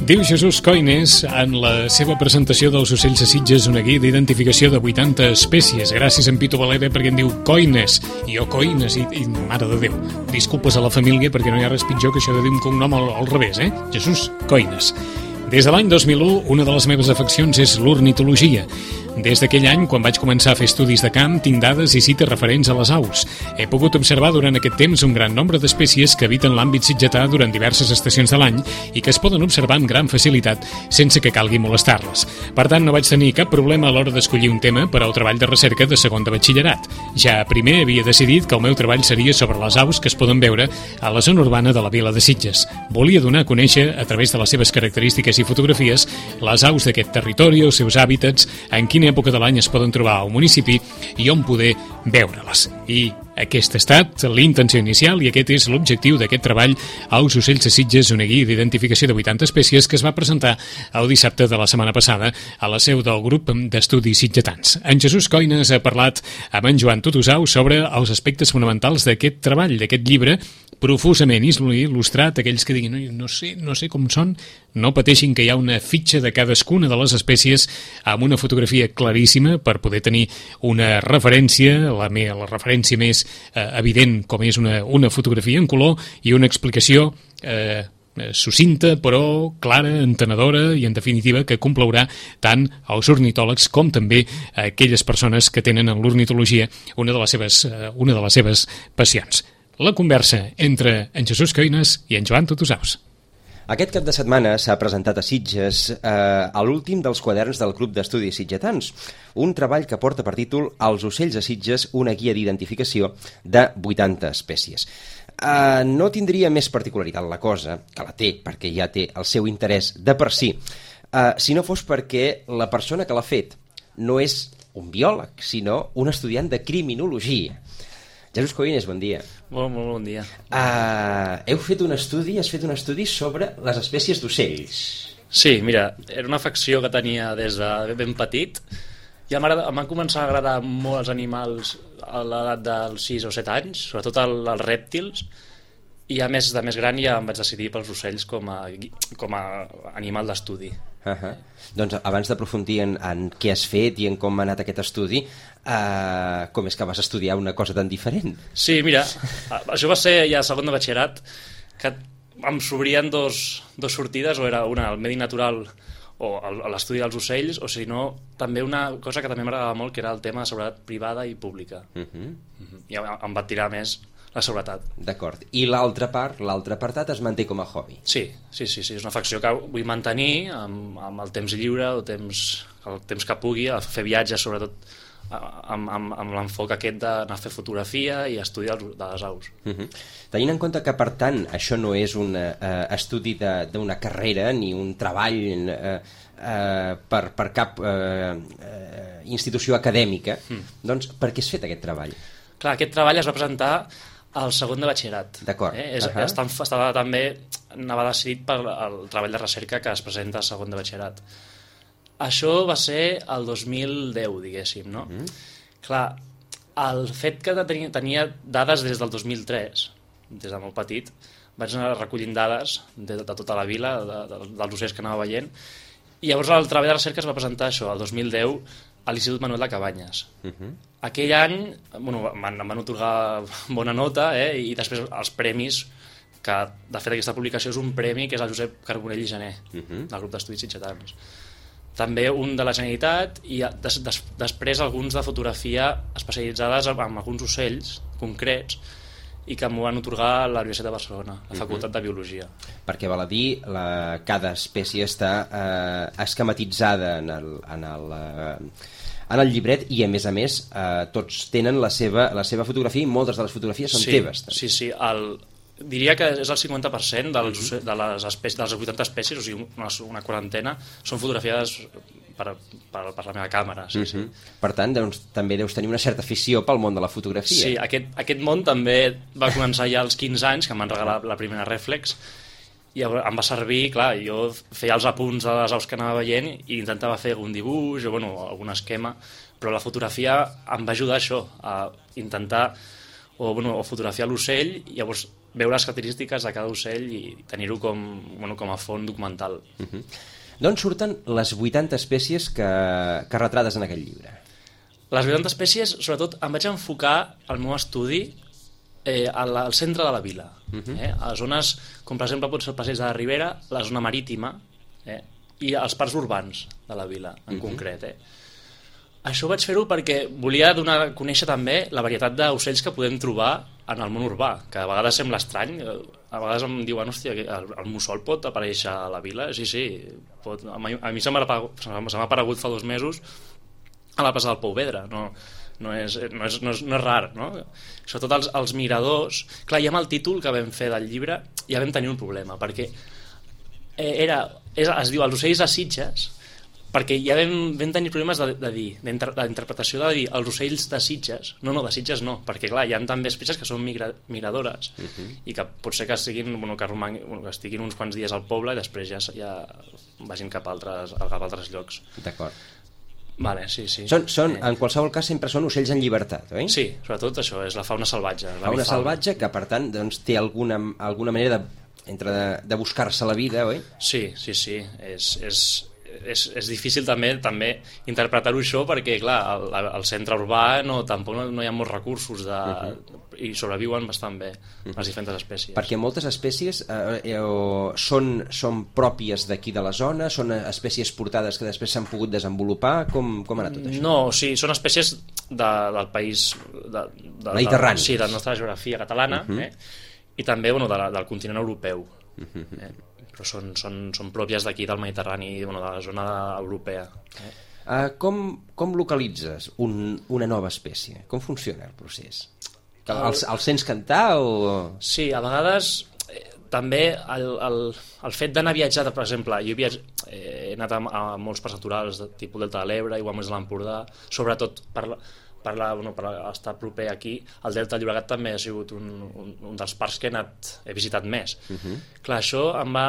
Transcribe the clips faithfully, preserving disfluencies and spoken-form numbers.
Diu Jesús Coines en la seva presentació dels ocells de Sitges una guia d'identificació de vuitanta espècies. Gràcies en Pito Valera perquè em diu Coines i jo Coines i, i mare de Déu, disculpes a la família perquè no hi ha res pitjor que això de dir un cognom al, al revés, eh? Jesús Coines. Des de l'any dos mil u, una de les meves afeccions és l'ornitologia. Des d'aquell any, quan vaig començar a fer estudis de camp, tinc dades i cites referents a les aus. He pogut observar durant aquest temps un gran nombre d'espècies que habiten l'àmbit sitgetà durant diverses estacions de l'any i que es poden observar amb gran facilitat sense que calgui molestar-les. Per tant, no vaig tenir cap problema a l'hora d'escollir un tema per al treball de recerca de segon de batxillerat. Ja primer havia decidit que el meu treball seria sobre les aus que es poden veure a la zona urbana de la vila de Sitges. Volia donar a conèixer, a través de les seves característiques i fotografies, les aus d'aquest territori, els seus hàbitats, en quina època de l'any es poden trobar al municipi i on poder veure-les. I aquesta ha estat l'intenció inicial i aquest és l'objectiu d'aquest treball Aus ocells de Sitges, una guia d'identificació de vuitanta espècies que es va presentar el dissabte de la setmana passada a la seu del grup d'estudis sitgetans. En Jesús Coines ha parlat amb en Joan Tutusau sobre els aspectes fonamentals d'aquest treball, d'aquest llibre, profusament il·lustrat. Aquells que diguin, no, no sé, no sé com són, no pateixin que hi ha una fitxa de cadascuna de les espècies amb una fotografia claríssima per poder tenir una referència, la, me, la referència més eh, evident com és una, una fotografia en color i una explicació eh, sucinta però clara, entenedora i en definitiva que complaurà tant als ornitòlegs com també a aquelles persones que tenen en l'ornitologia una de les seves, eh, una de les seves passions. La conversa entre en Jesús Coines i en Joan Tutusaus. Aquest cap de setmana s'ha presentat a Sitges eh, a l'últim dels quaderns del Club d'Estudis Sitgetans, un treball que porta per títol Els ocells de Sitges, una guia d'identificació de vuitanta espècies. Eh, no tindria més particularitat la cosa, que la té, perquè ja té el seu interès de per si, eh, si no fos perquè la persona que l'ha fet no és un biòleg, sinó un estudiant de criminologia. Jesús Coines, bon dia. Molt, molt bon dia. Uh, heu fet un estudi, has fet un estudi sobre les espècies d'ocells. Sí, mira, era una afecció que tenia des de ben petit. Ja em van començar a agradar molt els animals a l'edat dels sis o set anys, sobretot el, els rèptils, i a més de més gran ja em vaig decidir pels ocells com a, com a animal d'estudi. Uh-huh. Doncs abans d'aprofundir en, en què has fet i en com ha anat aquest estudi, uh, com és que vas estudiar una cosa tan diferent? Sí, mira, això va ser ja segon de batxillerat, que em s'obrien dos, dos sortides, o era una al medi natural o l'estudi dels ocells, o si no, també una cosa que també m'agradava molt, que era el tema de seguretat privada i pública. Uh-huh. Uh-huh. I em va tirar més la seguretat. D'acord. I l'altra part, l'altre apartat es manté com a hobby? Sí, sí, sí, sí. És una afecció que vull mantenir amb, amb el temps lliure, el temps, el temps que pugui, a fer viatges, sobretot amb, amb, amb l'enfoc aquest d'anar a fer fotografia i estudiar de les aus. Uh-huh. Tenint en compte que, per tant, això no és un uh, estudi d'una carrera ni un treball uh, uh, per, per cap uh, uh, institució acadèmica, mm. doncs per què has fet aquest treball? Clar, aquest treball es va presentar al segon de batxillerat. D'acord. Eh? És, uh-huh. estava, estava també, anava decidit pel el treball de recerca que es presenta al segon de batxillerat. Això va ser el dos mil deu, diguéssim, no? Uh-huh. Clar, el fet que tenia, tenia dades des del dos mil tres, des de molt petit, vaig anar recollint dades de, de tota la vila, de, de, dels ocells que anava veient, i llavors el treball de recerca es va presentar això, el dos mil deu, a l'Institut Manuel de Cabanyes. Uh-huh. Aquell any bueno, em van otorgar bona nota, eh, i després els premis, que de fet aquesta publicació és un premi que és el Josep Carbonell i Gené, uh-huh. del grup d'estudis sitgetans. També un de la Generalitat i des, des, després alguns de fotografia especialitzades en alguns ocells concrets i que m'ho van otorgar a la Universitat de Barcelona, la Facultat de Biologia. Perquè val a dir, la, cada espècie està eh, esquematitzada en el, en, el, eh, en el llibret i, a més a més, eh, tots tenen la seva, la seva fotografia i moltes de les fotografies són sí, teves. També. Sí, sí, el, diria que és el cinquanta per cent dels, uh-huh. de, les espècies, de les vuitanta espècies, o sigui, una, una quarantena, són fotografiades per, per, per la meva càmera. Sí, uh-huh. sí. Per tant, doncs, també deus tenir una certa afició pel món de la fotografia. Sí, aquest, aquest món també va començar ja als quinze anys, que em van regalar la primera rèflex, i em va servir, clar, jo feia els apunts de les aus que anava veient i intentava fer algun dibuix o bueno, algun esquema, però la fotografia em va ajudar a això, a intentar o, bueno, o fotografiar l'ocell i llavors veure les característiques de cada ocell i tenir-ho com, bueno, com a font documental. Uh-huh. D'on surten les vuitanta espècies que, que retrates en aquest llibre? Les vuitanta espècies, sobretot, em vaig enfocar al meu estudi eh, al, al centre de la vila. Uh-huh. eh? A zones, com per exemple pot ser el Passeig de la Ribera, la zona marítima, eh? i els parcs urbans de la vila, en uh-huh. concret. Eh? Això vaig fer-ho perquè volia donar a conèixer també la varietat d'ocells que podem trobar en el món urbà, que a vegades sembla estrany. A vegades em diuen, hòstia, el, el mussol pot aparèixer a la vila? Sí, sí, pot. A mi, a mi se m'ha aparegut fa dos mesos a la plaça del Pou Vedre, no, no, és, no, és, no, és, no és rar, no? Sobretot els, els miradors. Clar, ja amb el títol que vam fer del llibre ja vam tenir un problema, perquè era, és, es diu Els ocells de Sitges, perquè ja vam, vam tenir problemes de, de dir, d'interpretació de dir els ocells de Sitges, no, no, de Sitges no, perquè clar, hi ha també espècies que són migra, migradores uh-huh. i que pot ser que, siguin, bueno, que, romangui, bueno, que estiguin uns quants dies al poble i després ja, ja vagin cap a altres, cap a altres llocs. D'acord. Vale, sí, sí. Són, són, en qualsevol cas, sempre són ocells en llibertat, oi? Sí, sobretot això, és la fauna salvatge. La fauna salvatge que, per tant, doncs, té alguna, alguna manera de, entre de, de buscar-se la vida, oi? Sí, sí, sí. És, és, és, és difícil també també interpretar-ho això perquè, clar, al, al centre urbà no, tampoc no, no hi ha molts recursos de, uh-huh. i sobreviuen bastant bé uh-huh. les diferents espècies. Perquè moltes espècies eh, eh, són, són pròpies d'aquí de la zona, són espècies portades que després s'han pogut desenvolupar, com, com ha anat tot això? No, sí, són espècies de, del país de, de, mediterrani. Sí, de la nostra geografia catalana uh-huh. eh? I també bueno, de la, del continent europeu. Uh-huh. Eh? Però són, són, són pròpies d'aquí del Mediterrani, bueno, de la zona europea. Eh? Uh, com, com localitzes un, una nova espècie? Com funciona el procés? El, el, el sents cantar o...? Sí, a vegades eh, també el, el, el fet d'anar a viatjar, per exemple, jo he, viatj... eh, he anat a, a molts parcs naturals de tipus Delta de l'Ebre, igual més de l'Empordà, sobretot per, per, la, bueno, per estar proper aquí. El Delta del Llobregat també ha sigut un, un, un dels parcs que he, anat, he visitat més. Uh-huh. Clar, això em va,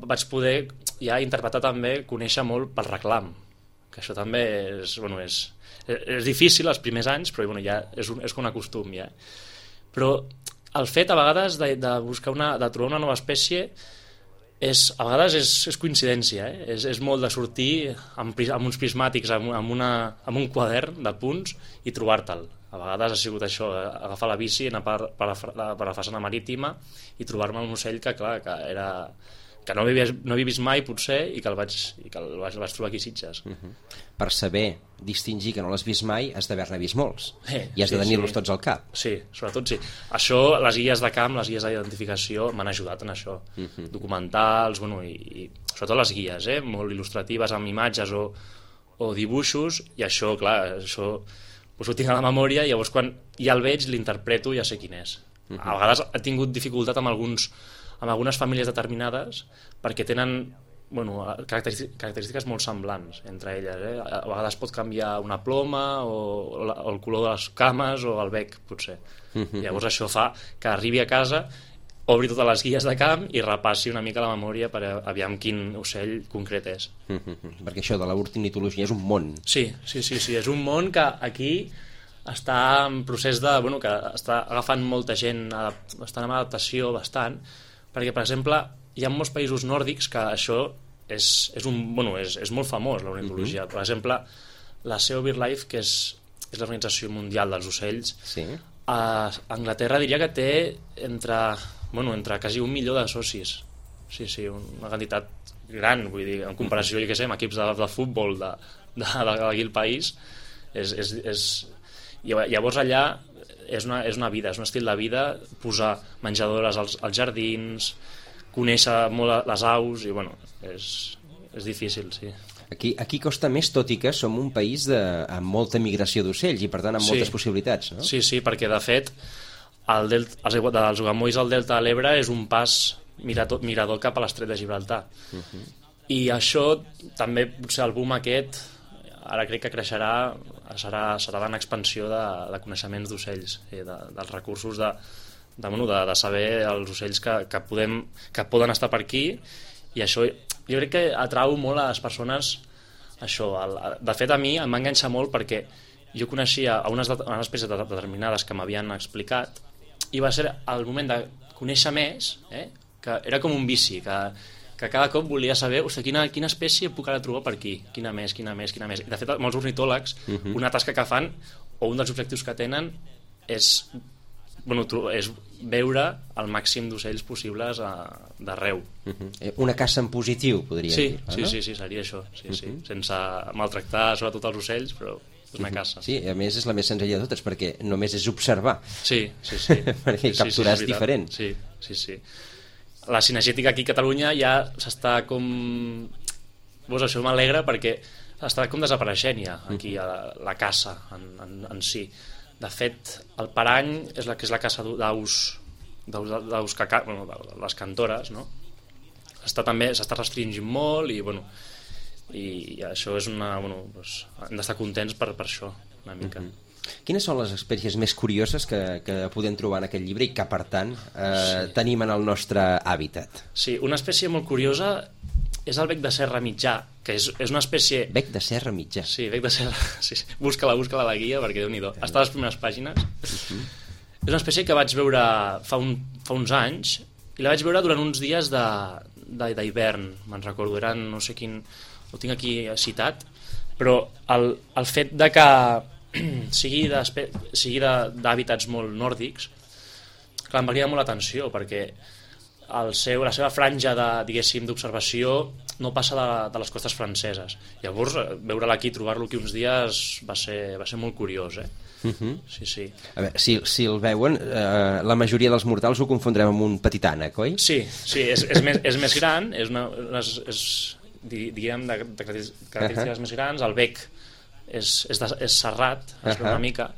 vaig poder ja interpretar també, conèixer molt pel reclam, que això també és, bueno, és, és difícil els primers anys, però bueno, ja és, un, és com un costum ja. Però el fet a vegades de, de buscar una, de trobar una nova espècie és, a vegades és, és coincidència, eh? és, és molt de sortir amb, amb uns prismàtics, amb, amb, una, amb un quadern de punts i trobar-te'l. A vegades ha sigut això, agafar la bici, anar per, per, la, per la façana marítima i trobar-me un ocell que, clar, que era... que no havia, no havia vist mai, potser, i que el vaig, i que el vaig, el vaig trobar aquí a Sitges. Uh-huh. Per saber distingir que no l'has vist mai, has d'haver-ne vist molts. Eh, I has sí, de tenir-los sí. tots al cap. Sí, sobretot sí. Això, les guies de camp, les guies d'identificació m'han ajudat en això. Uh-huh. Documentals, bueno, i, i sobretot les guies, eh, molt il·lustratives, amb imatges o, o dibuixos, i això, clar, això pues ho tinc a la memòria, i llavors quan ja el veig, l'interpreto i ja sé quin és. Uh-huh. A vegades he tingut dificultat amb alguns amb algunes famílies determinades perquè tenen bueno, característiques, característiques molt semblants entre elles. Eh? A vegades pot canviar una ploma o, o, la, o el color de les cames o el bec, potser. Mm-hmm. Llavors això fa que arribi a casa, obri totes les guies de camp i repassi una mica la memòria per aviam quin ocell concret és. Mm-hmm. Perquè això de l'ornitologia és un món. Sí, sí, sí, sí, és un món que aquí està en procés de... Bueno, que està agafant molta gent, està en adaptació bastant, perquè, per exemple, hi ha molts països nòrdics que això és, és, un, bueno, és, és molt famós, l'ornitologia. Uh-huh. Per exemple, la C O BirdLife, que és, és l'Organització Mundial dels Ocells, sí. A Anglaterra diria que té entre, bueno, entre quasi un milió de socis. Sí, sí, una quantitat gran, vull dir, en comparació, jo què sé, amb equips de, de futbol de, de, de, d'aquí el país, és, és, és... Llavors allà és una, és una vida, és un estil de vida, posar menjadores als, als jardins, conèixer molt les aus, i bueno, és, és difícil, sí. Aquí, aquí costa més, tot i que som un país de, amb molta migració d'ocells i per tant amb sí. moltes possibilitats, no? Sí, sí, perquè de fet el delta, els, dels Ugamolls al Delta de l'Ebre és un pas mirador, mirador cap a l'Estret de Gibraltar. Uh-huh. I això també, potser el boom aquest, ara crec que creixerà, serà, serà en expansió de, de coneixements d'ocells, de, dels recursos de, de, bueno, de, de saber els ocells que, que, podem, que poden estar per aquí, i això jo crec que atrau molt a les persones això. El, de fet, a mi em va enganxar molt perquè jo coneixia a unes, unes espècies determinades que m'havien explicat i va ser el moment de conèixer més, eh? Que era com un vici, que, que cada cop volia saber, ostres, quina, quina espècie puc ara trobar per aquí, quina més, quina més, quina més. I de fet, molts ornitòlegs, uh-huh. una tasca que fan, o un dels objectius que tenen, és, bueno, és veure el màxim d'ocells possibles d'arreu. Uh-huh. Una caça en positiu, podria sí, dir. Sí, no? sí, sí, seria això, sí, uh-huh. sí. Sense maltractar sobretot els ocells, però és una caça. Sí, a més és la més senzilla de totes, perquè només és observar. Sí, sí, sí. perquè capturar sí, sí, és, és diferent. Sí, sí, sí. La cinegètica aquí a Catalunya ja s'està com... Pues això m'alegra perquè està com desapareixent ja aquí a la, la caça en, en, en si. De fet, el parany és la que és la caça d'aus d'aus que, bueno, de les cantores, no? Està també s'està restringint molt i bueno, i, i això és una, bueno, doncs, hem d'estar contents per, per això una mica. Uh-huh. Quines són les espècies més curioses que, que podem trobar en aquest llibre i que per tant eh, sí. tenim en el nostre hàbitat? Sí, una espècie molt curiosa és el bec de serra mitjà, que és, és una espècie... Bec de serra mitjà? Sí, bec de serra... Sí, sí. Búscala, búscala a la guia, perquè Déu-n'hi-do. Està a les primeres pàgines. Uh-huh. És una espècie que vaig veure fa, un, fa uns anys, i la vaig veure durant uns dies d'hivern, me'n recordo, eren no sé quin... Ho tinc aquí citat, però el, el fet de que sigui d'hàbitats molt nòrdics, clar, em va cridar molt l'atenció, perquè el seu, la seva franja de, diguéssim, d'observació no passa de, de les costes franceses. Llavors, veure-la aquí, trobar-lo aquí uns dies va ser, va ser molt curiós, eh? Uh-huh. Sí, sí. A veure, si, si el veuen, eh, la majoria dels mortals ho confondrem amb un petit ànec, oi? Sí, sí, és, és, més, és més gran, és una, és, és, diguem, de, de característiques uh-huh. més grans, el bec és, és, de, és serrat, es veu uh-huh. una mica,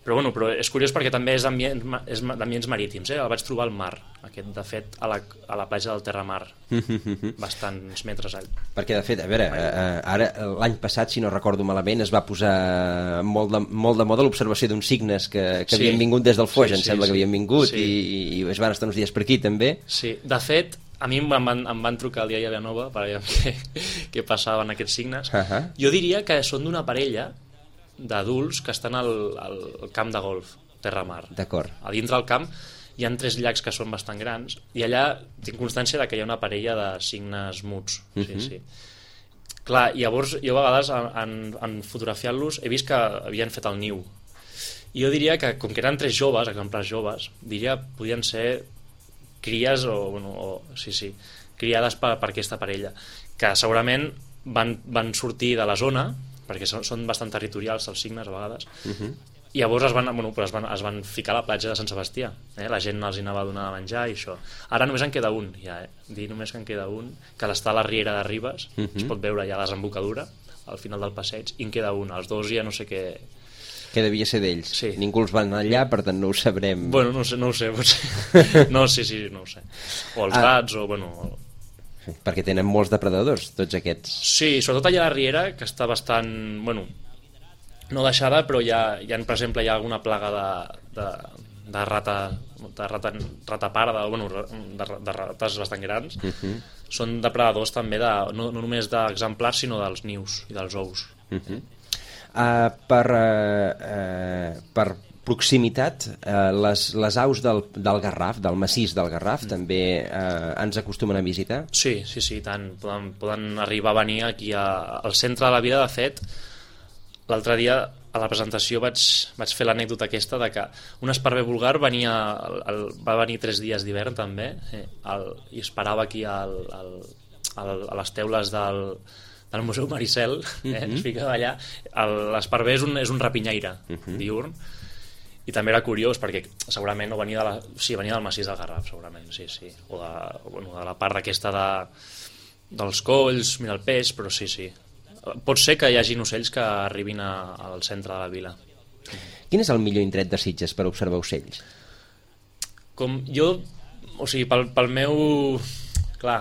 però, bueno, però és curiós perquè també és d'ambients marítims, eh? El vaig trobar al mar, aquest, de fet, a la, a la platja del Terramar, uh-huh. bastants metres all. Perquè, de fet, a veure, eh, ara l'any passat, si no recordo malament, es va posar molt de, molt de moda l'observació d'uns cignes que, que sí. havien vingut des del Foix, sí, em sembla sí, que havien vingut, sí. i, i es van estar uns dies per aquí, també. Sí, de fet, a mi em van, em van trucar el dia de Vilanova per veure què, què passaven aquests signes. Uh-huh. Jo diria que són d'una parella d'adults que estan al, al camp de golf, Terramar. D'acord. A dintre del camp hi ha tres llacs que són bastant grans i allà tinc constància de que hi ha una parella de cignes muts. Uh-huh. Sí, sí. Clar, llavors jo a vegades en, en fotografiant-los he vist que havien fet el niu. I jo diria que, com que eren tres joves, exemplars joves, diria podien ser cries o, bueno, o sí, sí, criades per, per aquesta parella, que segurament van, van sortir de la zona, perquè són, són bastant territorials els cignes a vegades, uh-huh. i llavors es van, bueno, es, van, es van ficar a la platja de Sant Sebastià, eh? La gent els hi anava a donar a menjar i això. Ara només en queda un, ja, eh? Dir només que en queda un, que està a la riera de Ribes, uh-huh. es pot veure ja a la desembocadura, al final del passeig, i en queda un, els dos ja no sé què... Que devia ser d'ells. Sí. Ningú els va anar allà, per tant no ho sabrem. Bueno, no ho sé, no ho sé, potser. No, sí, sí, no ho sé. O els ah. gats, o bueno... O... Perquè tenen molts depredadors, tots aquests. Sí, sobretot allà a la riera, que està bastant, bueno, no deixada, però hi ha, hi ha per exemple, hi ha alguna plaga de, de, de rata, de rata, rata pare, de, bueno, de, de rates bastant grans. Uh-huh. Són depredadors també, de, no, no només d'exemplars, sinó dels nius i dels ous. Uh-huh. Uh, per, uh, uh, per proximitat, uh, les, les aus del, del Garraf, del massís del Garraf, mm. també uh, ens acostumen a visitar? Sí, sí, sí, tant. Poden, poden arribar a venir aquí a, al centre de la vila. De fet, l'altre dia a la presentació vaig, vaig fer l'anècdota aquesta de que un esparver vulgar venia, el, el, va venir tres dies d'hivern també, eh, el, i esperava aquí al, al, al, a les teules del... del Museu Maricel, eh? Uh-huh. Es ficava allà. L'esparver és un, és un rapinyaire uh-huh. diurn, i també era curiós perquè segurament no venia de la, sí, venia del massís del Garraf, segurament, sí, sí, o de, bueno, de la part aquesta de, dels colls, mira el peix, però sí, sí. Pot ser que hi hagi ocells que arribin a, al centre de la vila. Quin és el millor indret de Sitges per observar ocells? Com jo, o sigui, pel, pel meu... Clar,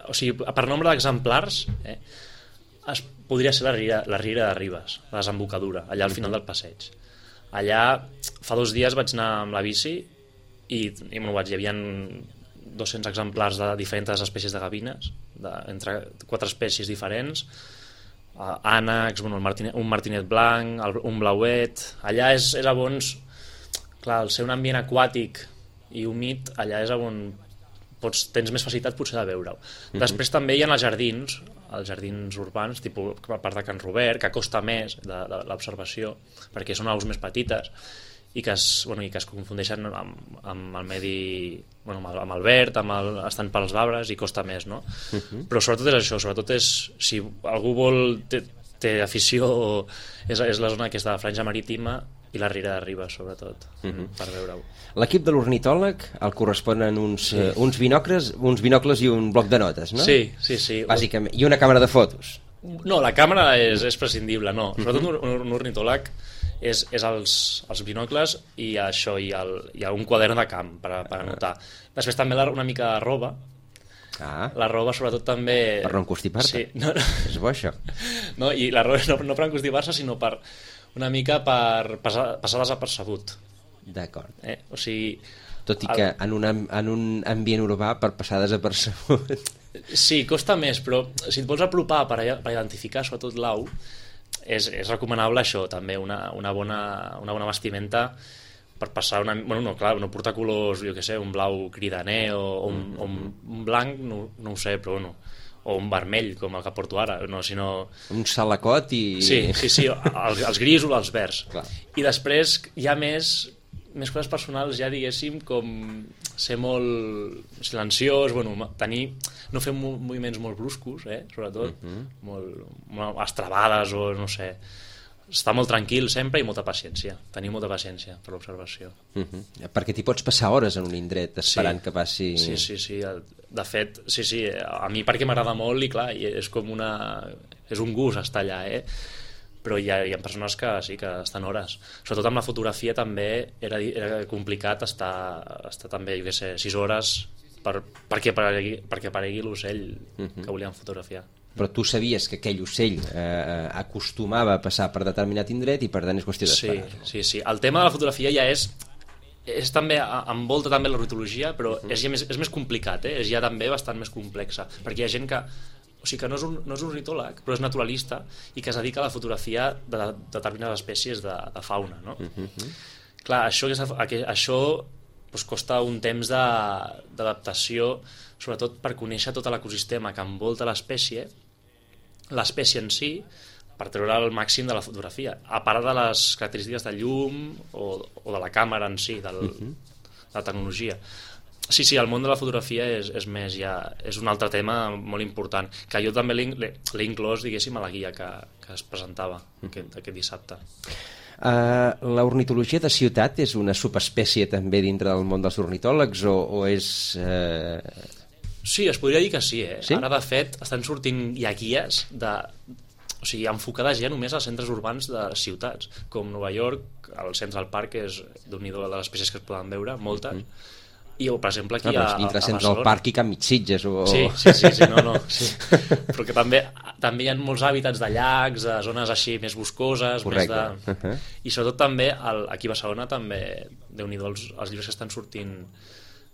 o sigui, per nombre d'exemplars, eh, es podria ser la riera, la riera de Ribes, la desembocadura, allà al final del passeig. Allà, fa dos dies vaig anar amb la bici i, i bueno, vaig, hi havia dos-cents exemplars de diferents espècies de gavines, de, entre quatre espècies diferents, uh, ànecs, bueno, el martinet, un martinet blanc, el, un blauet. Allà és, era bons... clar, al ser un ambient aquàtic i humit, allà és on pots, tens més facilitat potser de veure-ho. Mm-hmm. Després també hi ha els jardins, els jardins urbans, tipus a part de Can Robert, que costa més de, de l'observació, perquè són aus més petites, i que es, bueno, i que es confundeixen amb, amb el medi, bueno, amb, el, amb el verd, amb el, estan pels arbres, i costa més, no? Uh-huh. Però sobretot és això, sobretot és, si algú vol, té, té afició, és, és la zona que és de la franja marítima i la Riera de Ribes, sobretot, uh-huh. per veure-ho. L'equip de l'ornitòleg el corresponen uns, sí. uh, uns, binocles, uns binocles i un bloc de notes, no? Sí, sí, sí. Bàsicament, i una càmera de fotos. No, la càmera és, és prescindible, no. Sobretot uh-huh. un, un ornitòleg és, és els, els binocles i això, i, el, i un quadern de camp per, per anotar. Després també la, una mica de roba. Ah. La roba sobretot també... Per no encostipar-te. Sí, no, no. És bo això. No, i la roba no, no per encostipar-se, sinó per una mica per passar, passar desapercebut. D'acord. Eh? O sigui... Tot i que el... en, un, en un ambient urbà per passar desapercebut... Sí, costa més, però si et vols apropar per, per identificar sobretot l'au, és, és recomanable això també, una, una, bona, una bona vestimenta per passar una... Bueno, no, clar, no portar colors, jo què sé, un blau cridaner o, o, un, o un blanc, no, no ho sé, però bueno, o un vermell, com el que porto ara, no, sinó... Un salacot i... Sí, sí, sí, els, els grisos o els verds. Clar. I després hi ha més... més coses personals, ja diguéssim, com ser molt silenciós, bueno, tenir, no fer moviments molt bruscos, eh, sobretot, uh-huh. molt, molt estrabades o no sé, estar molt tranquil sempre i molta paciència, tenir molta paciència per l'observació. Uh-huh. Perquè t'hi pots passar hores en un indret esperant sí. que passi... Sí, sí, sí, de fet, sí, sí, a mi perquè m'agrada molt i clar, és com una... és un gust estar allà, eh? Però hi ha, hi ha persones que sí, que estan hores. Sobretot amb la fotografia també era, era complicat estar, estar també, jo què sé, sis hores per, perquè, aparegui, perquè aparegui l'ocell uh-huh. que volíem fotografiar. Però tu sabies que aquell ocell eh, acostumava a passar per determinat indret i per tant és qüestió d'esperar. Sí, sí, sí. El tema de la fotografia ja és, és també, envolta també l'ornitologia, però uh-huh. és, ja més, és més complicat, eh? És ja també bastant més complexa, perquè hi ha gent que o sigui que no és, un, no és un ornitòleg, però és naturalista i que es dedica a la fotografia de, de determinades espècies de, de fauna, no? Uh-huh. Clar, això, això doncs, costa un temps d'adaptació, sobretot per conèixer tot l'ecosistema que envolta l'espècie, l'espècie en si, per treure el màxim de la fotografia, a part de les característiques de llum o, o de la càmera en si, del, uh-huh. de la tecnologia. Sí, sí, el món de la fotografia és, és més ja, és un altre tema molt important, que jo també l'he inclòs, diguéssim, a la guia que, que es presentava aquest, aquest dissabte. Uh, l'ornitologia de ciutat és una subespècie també dintre del món dels ornitòlegs o, o és... Uh... Sí, es podria dir que sí, eh? Sí? Ara, de fet, estan sortint ja guies de... O sigui, enfocades ja només als centres urbans de ciutats, com Nova York, el Central Park és d'un-i-do de les espècies que es poden veure, moltes, mm. I, per exemple, aquí no, a, a, dintre a Central Park i Can Mitsitges o... sí, sí, sí, sí, no, no sí. Però que també, també hi ha molts hàbitats de llacs, de zones així més boscoses. Correcte. Més de... uh-huh. I sobretot també el, aquí a Barcelona també, Déu-n'hi-do els, els llibres que estan sortint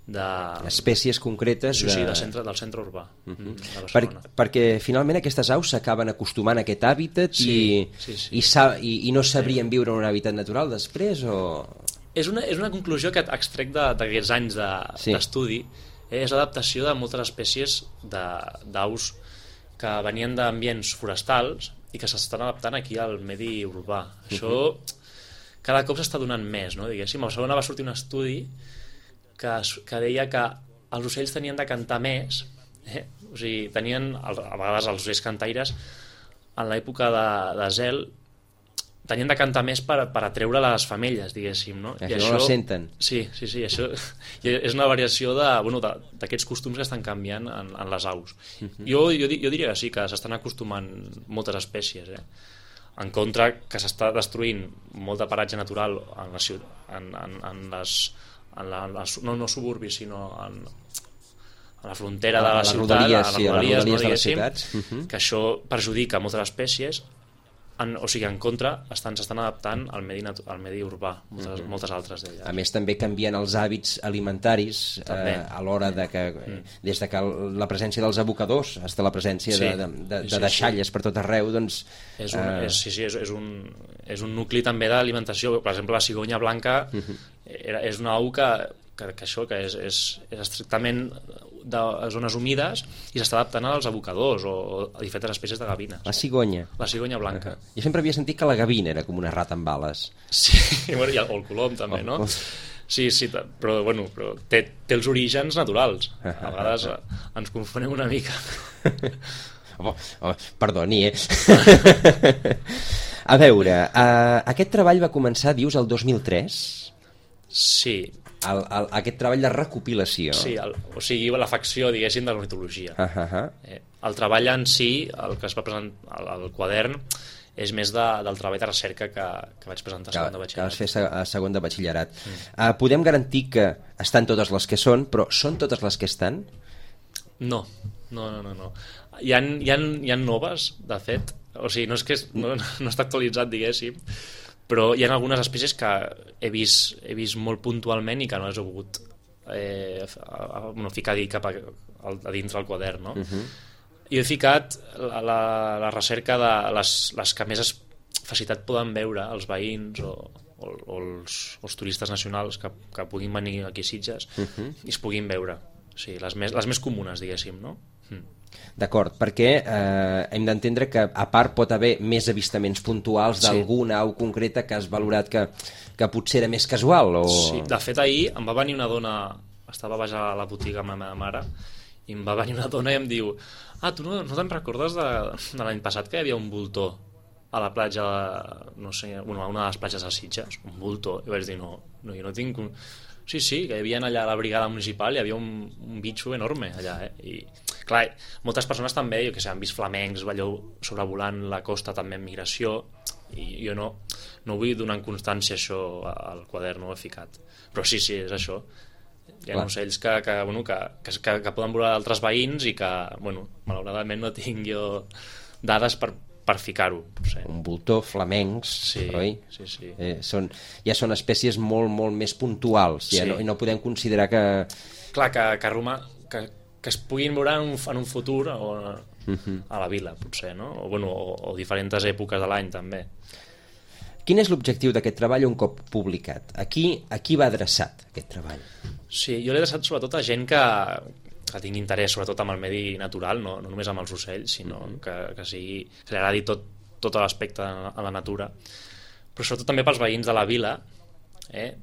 de... espècies concretes sí, de... sí, de centre, del centre urbà uh-huh. de per, perquè finalment aquestes aus s'acaben acostumant a aquest hàbitat sí, i, sí, sí. I, sa, i, i no sabrien viure en un hàbitat natural després o... És una, és una conclusió que extrec d'aquests anys d'estudi, de, sí. És l'adaptació de moltes espècies d'aus que venien d'ambients forestals i que s'estan adaptant aquí al medi urbà. Uh-huh. Això cada cop s'està donant més, no? Diguéssim, a Barcelona va sortir un estudi que, que deia que els ocells tenien de cantar més, eh? O sigui, tenien, a vegades els ocells cantaires, en l'època de, de zel, tenien de cantar més per, per atreure les femelles, diguéssim, no? I això no la senten. Sí, sí, sí, això és una variació de, bueno, d'aquests costums que estan canviant en, en les aus. Uh-huh. Jo, jo, jo diria que sí, que s'estan acostumant moltes espècies, eh? En contra que s'està destruint molt de paratge natural en, la, en, en, en les... En la, les, no, no suburbis, sinó en, a la frontera de la, la ciutat, rodalies, a les sí, rodalies, a les rodalies no, de les ciutats. Uh-huh. Que això perjudica moltes espècies en, o sigui, en contra, estan s'estan adaptant al medi, al medi urbà, moltes, mm -hmm. moltes altres d'elles. A més, també canvien els hàbits alimentaris eh, a l'hora de que, mm. des de que la presència dels abocadors fins a la presència sí. de, de, de, de sí, deixalles sí. per tot arreu, doncs... És un, eh... és, sí, sí, és, és, un, és un nucli també d'alimentació. Per exemple, la cigonya blanca mm -hmm. era, és una au que, que, que això, que és, és, és estrictament de zones humides i s'està adaptant als abocadors o a diferents espècies de gavines. La cigonya. La cigonya blanca. Uh -huh. Jo sempre havia sentit que la gavina era com una rata amb ales. Sí, bueno, i el, o el colom també, no? Oh. Sí, sí, però, bueno, però té, té els orígens naturals. A vegades ens confonem una mica. Oh, oh, perdoni, eh? A veure, uh, aquest treball va començar, dius, el dos mil tres? Sí. El, el, aquest treball de recopilació. Sí, el, o sigui, la facció, diguéssim, de l'ornitologia. Uh -huh. eh, el treball en si, el que es va presentar, el, el quadern, és més de, del treball de recerca que, que vaig presentar a segon de batxillerat. Que vas fer a segon de batxillerat. Mm. Uh, podem garantir que estan totes les que són, però són totes les que estan? No, no, no, no. no. Hi ha, hi ha, hi ha noves, de fet. O sigui, no és que és, no, no està actualitzat, diguéssim, però hi ha algunes espècies que he vist, he vist molt puntualment i que no les he pogut eh, a, a, bueno, ficar a, dir cap a, a dins del quadern, no? Uh-huh. Jo he ficat la, la, la recerca de les, les que més facilitat poden veure els veïns o, o, o els, els turistes nacionals que, que puguin venir aquí a Sitges uh-huh. i es puguin veure. O sigui, les més, les més comunes, diguéssim, no? Mm. D'acord, perquè eh, hem d'entendre que a part pot haver més avistaments puntuals d'alguna sí. au concreta que has valorat que, que potser era més casual o... Sí, de fet ahir em va venir una dona, estava baix a la botiga amb la meva mare i em va venir una dona i em diu ah, tu no, no te'n recordes de, de l'any passat que hi havia un voltor a la platja de, no sé, bueno, a una de les platges de Sitges, un voltor, i vaig dir no, no jo no tinc un... sí, sí, que hi havia allà a la brigada municipal, hi havia un, un bitxo enorme allà, eh? I clar, moltes persones també, jo que sé, han vist flamencs allò sobrevolant la costa també en migració i jo no, no vull donar en constància això al quadern, no ho he ficat, però sí, sí, és això. Hi ha clar. Ocells que, que, bueno, que, que, que poden volar altres veïns i que, bueno, malauradament no tinc jo dades per, per ficar-ho. Sí. Un voltor, flamencs, sí, oi? Sí, sí. Eh, són, ja són espècies molt, molt més puntuals, ja sí. no, i no podem considerar que... Clar, que, que, Roma, que, que es puguin veure en un, en un futur o, uh-huh. a la vila, potser, no? O, bueno, o, o diferents èpoques de l'any, també. Quin és l'objectiu d'aquest treball un cop publicat? A qui, a qui va adreçat, aquest treball? Sí, jo l'he adreçat sobretot a gent que, que tingui interès sobretot amb el medi natural, no, no només amb els ocells, sinó uh-huh. que, que, sigui, que li agradi tot, tot l'aspecte a la natura, però sobretot també pels veïns de la vila, eh?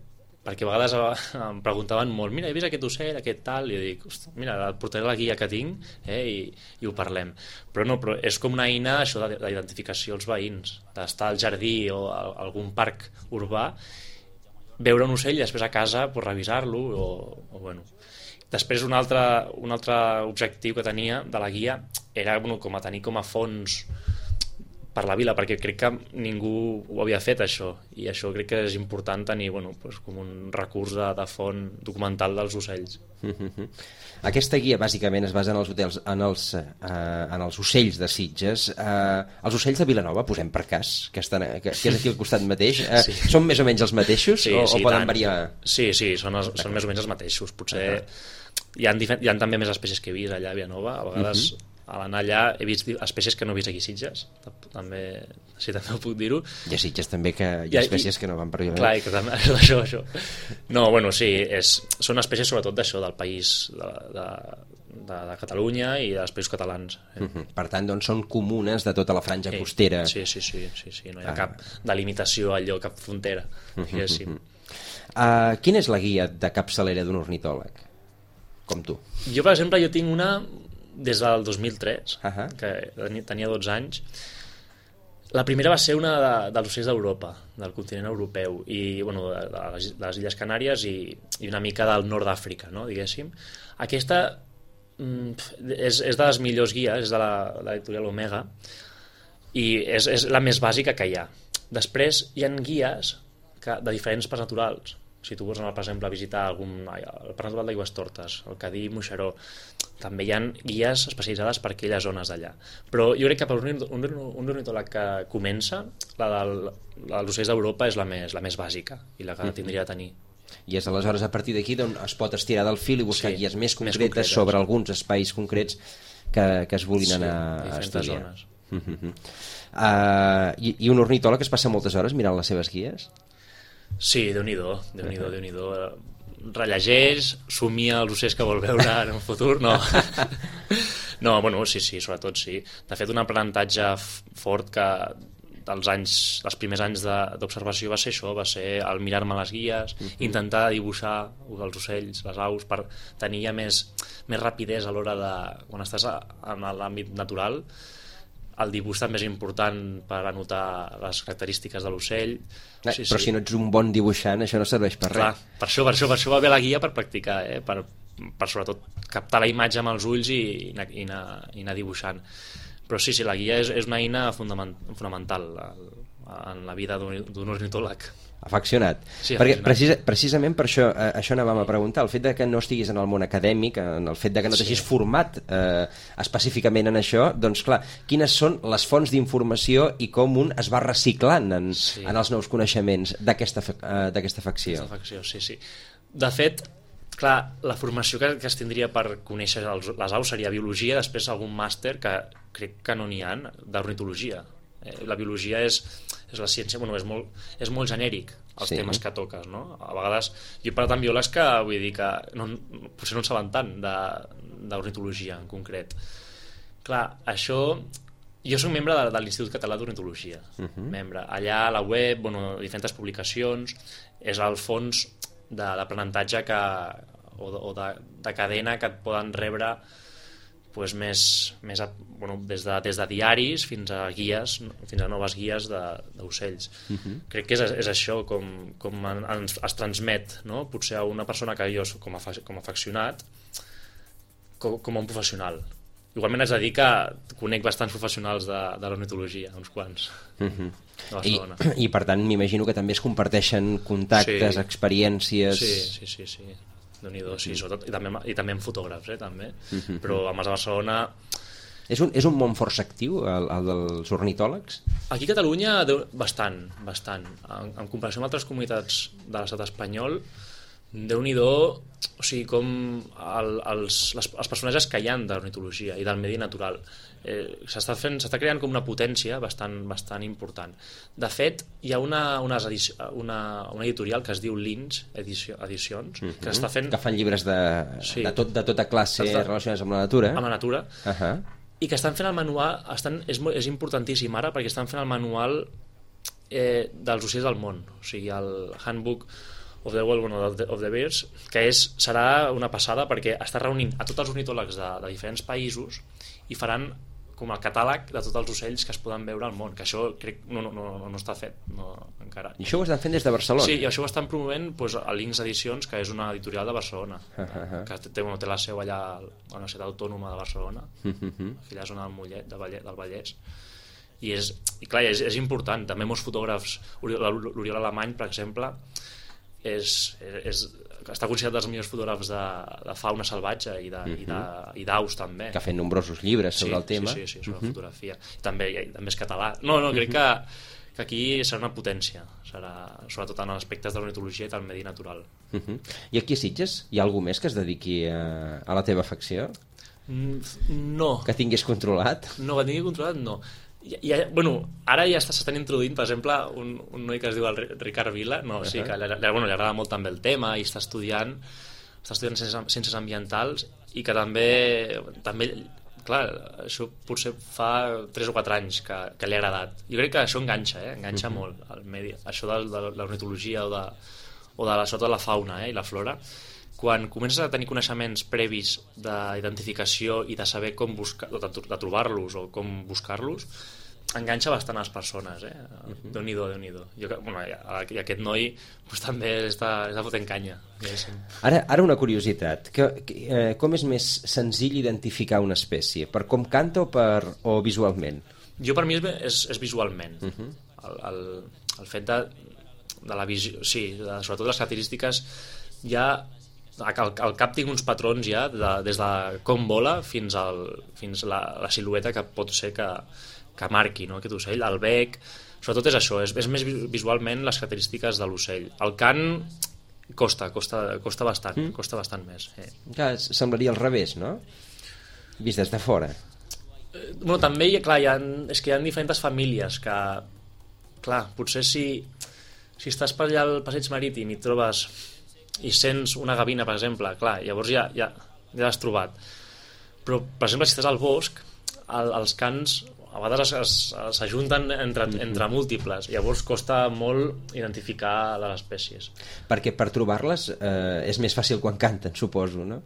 Perquè a vegades em preguntaven molt, mira, he vist aquest ocell, aquest tal, i jo dic, mira, et portaré la guia que tinc eh? I, i ho parlem. Però no, però és com una eina això d'identificació als veïns, d'estar al jardí o a algun parc urbà, veure un ocell i després a casa pues, revisar-lo o, o bueno. Després un altre, un altre objectiu que tenia de la guia era bueno, com a tenir com a fons per la vila, perquè crec que ningú ho havia fet això, i això crec que és important tenir bueno, pues, com un recurs de, de font documental dels ocells. Mm-hmm. Aquesta guia bàsicament es basa en els, hotels, en els, eh, en els ocells de Sitges. Eh, els ocells de Vilanova, posem per cas, que, estan, que, que és aquí al costat mateix, eh, sí. són més o menys els mateixos sí, o, sí, o poden tant. variar? Sí, sí, són, els, són més o menys els mateixos. Potser uh-huh. hi, ha hi ha també més espècies que he vist allà a Vilanova, a vegades... Uh-huh. A l'anar allà he vist espècies que no he vist aquí a Sitges, també, sí, també ho puc dir-ho. I a Sitges també que hi ha espècies I, que no van per allà. Clar, i que també, això, això. No, bueno, sí, és, són espècies sobretot d'això, del país de, de, de, de Catalunya i dels països catalans. Eh? Uh-huh. Per tant, doncs són comunes de tota la franja sí, costera. Sí, sí, sí, sí, sí, no hi ha ah. cap delimitació allò, cap frontera, diguéssim. Uh-huh. Uh, quina és la guia de capçalera d'un ornitòleg? Com tu. Jo, per exemple, jo tinc una... des del dos mil tres, uh-huh. que tenia dotze anys. La primera va ser una de, dels ocells d'Europa, del continent europeu, i bueno, de, de, les, de les Illes Canàries i, i una mica del nord d'Àfrica, no, diguéssim. Aquesta mm, és, és de les millors guies, és de la, de l'editorial Omega, i és, és la més bàsica que hi ha. Després hi ha guies que, de diferents parcs naturals, Si tu vols anar, per exemple, a visitar algun, ai, el Parc Natural d'Aigüestortes, el Cadí, Moixeró, també hi ha guies especialitzades per aquelles zones d'allà. Però jo crec que per un, un, un ornitòleg que comença, la, del, la dels ocells d'Europa és la més, la més bàsica i la que mm-hmm. tindria de tenir. I és aleshores a partir d'aquí d'on es pot estirar del fil i buscar sí, guies més concretes, més concretes sobre alguns espais concrets que, que es vulguin sí, anar a estudiar. Zones. Mm-hmm. uh, i, I un ornitòleg es passa moltes hores mirant les seves guies? Sí, Déu-n'hi-do, Déu-n'hi-do, Déu-n'hi-do. Rellegeix, somia els ocells que vol veure en un futur, no. No, bueno, sí, sí, sobretot sí. De fet, un aprenentatge fort que dels anys, dels primers anys d'observació va ser això, va ser el mirar-me les guies, uh-huh. intentar dibuixar els ocells, les aus, per tenir ja més, més rapidesa a l'hora de... Quan estàs en l'àmbit natural, el dibuix també és important per anotar les característiques de l'ocell. Eh, sí, però sí. Si no ets un bon dibuixant, això no serveix per Clar, res. Per això, per això, per això va bé la guia, per practicar, eh? per, per sobretot captar la imatge amb els ulls i, i, anar, i, anar, i anar dibuixant. Però sí, sí, la guia és, és una eina fonamental en la vida d'un ornitòleg. Afeccionat. Sí, perquè precisa, precisament per això, eh, això anàvem a preguntar, el fet de que no estiguis en el món acadèmic, en el fet de que no t'hagis sí. format eh, específicament en això, doncs clar, quines són les fonts d'informació i com un es va reciclant en, sí. en els nous coneixements d'aquesta eh, d'aquesta afecció. Aquesta afecció, sí, sí. De fet, clar, la formació que, que es tindria per conèixer els, les aus seria biologia, després algun màster que crec que no n'hi ha d'ornitologia. Eh, la biologia és, és la ciència, bueno, és molt, és molt genèric els sí. temes que toques, no? A vegades, jo he parlat amb biòlegs que vull dir que no, potser no en saben tant d'ornitologia en concret. Clar, això... Jo soc membre de, de l'Institut Català d'Ornitologia, uh-huh. membre. Allà a la web, bueno, diferents publicacions, és el fons de l'aprenentatge que, o, de, o de, de cadena que et poden rebre pues, més, més a, bueno, des, de, des de diaris fins a guies, fins a noves guies d'ocells. Uh-huh. Crec que és, és això com, com ens, es transmet, no? Potser a una persona que jo com a, com a afeccionat com, com a un professional. Igualment haig de dir que conec bastants professionals de, de l'ornitologia, uns quants. Uh-huh. I, I per tant m'imagino que també es comparteixen contactes, sí. experiències... Sí, sí, sí, sí. Déu-n'hi-do, sí, sobretot, i també, i també amb fotògrafs, eh, també. Uh-huh. Però amb els de Barcelona... És un, és un món força actiu, el, el dels ornitòlegs? Aquí a Catalunya, bastant, bastant. En, en comparació amb altres comunitats de l'estat espanyol, Déu-n'hi-do, o sigui, com el, els, les, els personatges que hi ha d'ornitologia i del medi natural. Eh, s'està fent, s'està creant com una potència bastant, bastant important. De fet, hi ha una, una, una, una editorial que es diu Lins Edició, Edicions, uh-huh. que està fent... Que fan llibres de, sí. de, tot, de tota classe està, relacionats amb la natura. Amb la natura. Uh-huh. I que estan fent el manual... Estan, és, és importantíssim ara perquè estan fent el manual eh, dels ocells del món. O sigui, el Handbook of the World, bueno, of the Birds, que és, serà una passada perquè està reunint a tots els ornitòlegs de, de diferents països i faran com el catàleg de tots els ocells que es poden veure al món, que això crec no, no, no, no està fet no, encara. I això ho estan fent des de Barcelona? Sí, i això ho estan promovent doncs, a Lins Edicions, que és una editorial de Barcelona, uh-huh. que té, bueno, té la seu allà a la Universitat Autònoma de Barcelona, uh-huh. aquella zona del Mollet, del Vallès, del Vallès. I, és, i clar, és, és important. També molts fotògrafs, l'Oriol Alemany, per exemple, és, és, està considerat dels millors fotògrafs de, de fauna salvatge i d'aus també. Que ha fet nombrosos llibres sobre sí, el tema. Sí, sí, sí, sobre uh-huh. fotografia. També, també és català. No, no, crec uh-huh. que, que aquí serà una potència, serà, sobretot en aspectes de l'ornitologia i del medi natural. Uh-huh. I aquí a Sitges hi ha algú més que es dediqui a, a la teva afecció? No. Que tinguis controlat? No, que tingui controlat no. Ja, ja, bueno, ara ja s'estan introduint, per exemple, un, un noi que es diu el Ricard Vila, no, uh-huh. sí, que li, bueno, li agrada molt també el tema i està estudiant, està estudiant ciències, ciències ambientals i que també, també, clar, això potser fa tres o quatre anys que, que li ha agradat. Jo crec que això enganxa, eh? enganxa uh-huh. molt al medi, això de, de l'ornitologia o de, o de la, sobretot de la fauna eh? i la flora. Quan comences a tenir coneixements previs d'identificació i de saber com buscar, de, de trobar-los o com buscar-los, enganxa bastant a les persones, eh? Uh-huh. Déu-n'hi-do, Déu-n'hi-do. Jo, bueno, i aquest noi pues, també està, està fotent canya. Ara, ara una curiositat. Que, que, eh, com és més senzill identificar una espècie? Per com canta o, per, o visualment? Jo per mi és, és, és visualment. Uh-huh. el, el, el fet de de la visió, sí, de, sobretot les característiques, ja al, al cap tinc uns patrons ja, de, des de com vola fins, al, fins la, la silueta que pot ser que, que marqui, no?, aquest ocell, el bec, sobretot és això, és, és més visualment les característiques de l'ocell. El cant costa, costa, costa bastant, mm. costa bastant més. Eh. Clar, semblaria al revés, no? Vist des de fora. Eh, bueno, també hi ha, clar, hi ha, és que hi ha diferents famílies que, clar, potser si, si estàs per allà al passeig marítim i trobes i sents una gavina, per exemple, clar, llavors ja, ja, ja l'has trobat. Però, per exemple, si estàs al bosc, el, els cants a vegades s'ajunten entre, entre múltiples, llavors costa molt identificar les espècies. Perquè per trobar-les eh, és més fàcil quan canten, suposo, no?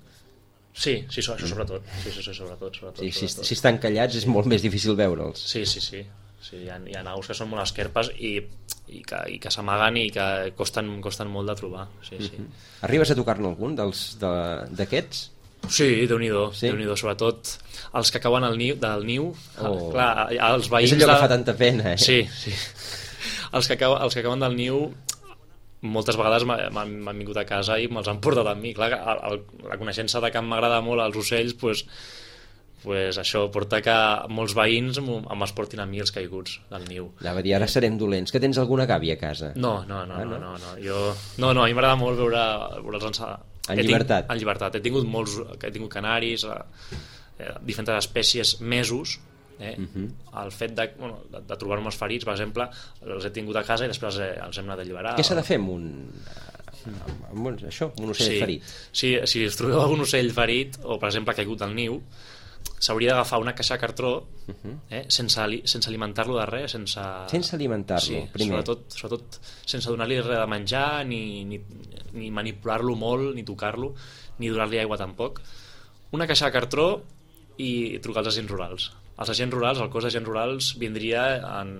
Sí, sí, això sobretot. Sí, sí, sí, sobretot, sobretot, sí, si, sobretot. Si estan callats és molt més difícil veure'ls. Sí, sí, sí. sí hi, ha, hi ha aus que són molt esquerpes i, i que, i que s'amaguen i que costen, costen molt de trobar. Sí, sí. Uh-huh. Arribes a tocar-ne algun d'aquests? Sí, Déu-n'hi-do, sí? Déu-n'hi-do, sobretot els que cauen al niu, del niu. Oh. Clar, els veïns... És allò de... que fa tanta pena, eh? Sí, sí. Els que, cau, els que cauen del niu moltes vegades m'han vingut a casa i me'ls han portat amb mi. Clar, el, el, la coneixença de que m'agrada molt els ocells, pues, pues això porta que molts veïns me'ls portin a mi els caiguts del niu. Ja va dir, ara serem dolents. Que tens alguna gàbia a casa? No, no, no, ah, no? no, no, no. Jo... no, no, a mi m'agrada molt veure, veure'ls en, en llibertat. Tinc, en llibertat. He tingut molts, he tingut canaris, eh, diferents espècies, mesos. Eh? Uh-huh. El fet de, bueno, de, de trobar-me els ferits, per exemple, els he tingut a casa i després els, els hem anat a alliberar. Què s'ha de fer amb un... amb un, això, un ocell sí, ferit? Sí, si us trobeu algun ocell ferit o, per exemple, caigut del niu, s'hauria d'agafar una caixa de cartró, uh-huh, eh, sense, ali sense alimentar-lo de res, sense... Sense alimentar-lo, sí, primer. Sobretot, sobretot sense donar-li res de menjar, ni, ni, ni manipular-lo molt, ni tocar-lo, ni donar-li aigua tampoc. Una caixa de cartró i trucar als agents rurals. Els agents rurals, el cos d'agents rurals vindria en,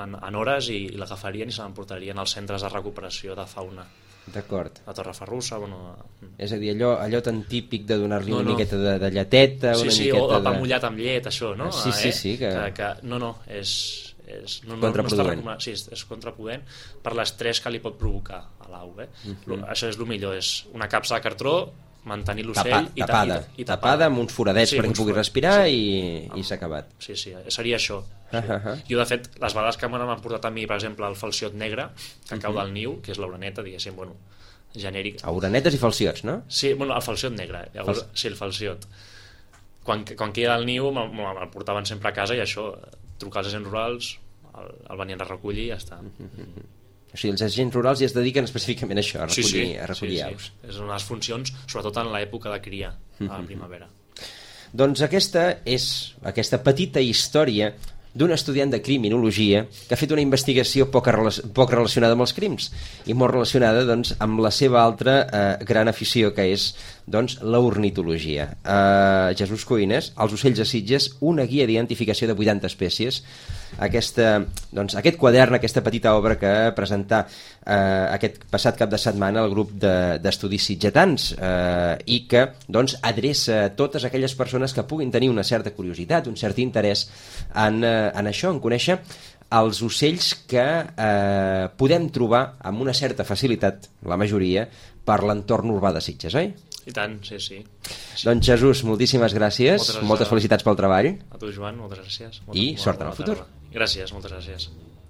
en, en hores i, i l'agafarien i se l'emportarien als centres de recuperació de fauna. D'acord. A Torreferrussa, bueno... És a dir, allò, allò tan típic de donar-li no, una no. miqueta de, de lleteta, sí, una sí, miqueta o de... pa mullat amb llet, això, no? Sí, sí, eh? sí. Que... Que, que... No, no, és... és no, contraproduent. No sí, és, és contraproduent per l'estrès que li pot provocar a l'au. Eh? Uh-huh. Això és el millor, és una capsa de cartró, mantenir l'ocell i tapada, i, i tapada, tapada amb uns foradets, sí, perquè pugui respirar, sí, i, i s'ha acabat. Sí, sí, seria això. Sí. Uh-huh. Jo, de fet, les vegades que m'han portat a mi, per exemple, el falciot negre, que cau uh-huh. del niu, que és l'oreneta, diguéssim, bueno, genèric. Orenetes i falciots, no? Sí, bueno, el falciot negre, llavors, Fal... sí, el falciot. Quan, quan queda el niu, me'l portaven sempre a casa i això, trucar als agents rurals, el, el venien a recollir i ja està. Uh-huh. O sigui, els agents rurals ja es dediquen específicament a això, a recollir, sí, sí, a recollir sí, aus. Sí. És una de les funcions, sobretot en l'època de cria, a la primavera. Doncs aquesta és aquesta petita història d'un estudiant de criminologia que ha fet una investigació poc, poc relacionada amb els crims i molt relacionada, doncs, amb la seva altra eh, gran afició, que és, doncs, l'ornitologia. Eh, Jesús Coines, Els ocells de Sitges, una guia d'identificació de vuitanta espècies. Aquesta, doncs, aquest quadern, aquesta petita obra que presentà eh, aquest passat cap de setmana el grup d'estudis de, sitgetans eh, i que, doncs, adreça a totes aquelles persones que puguin tenir una certa curiositat, un cert interès en, eh, en això, en conèixer els ocells que eh, podem trobar amb una certa facilitat, la majoria, per l'entorn urbà de Sitges, oi? I tant, sí, sí. sí. Doncs Jesús, moltíssimes gràcies, moltes, gràcies moltes felicitats pel treball. A tu, Joan, moltes gràcies. Moltes, I molt, sort en el futur. Gràcies, moltes gràcies.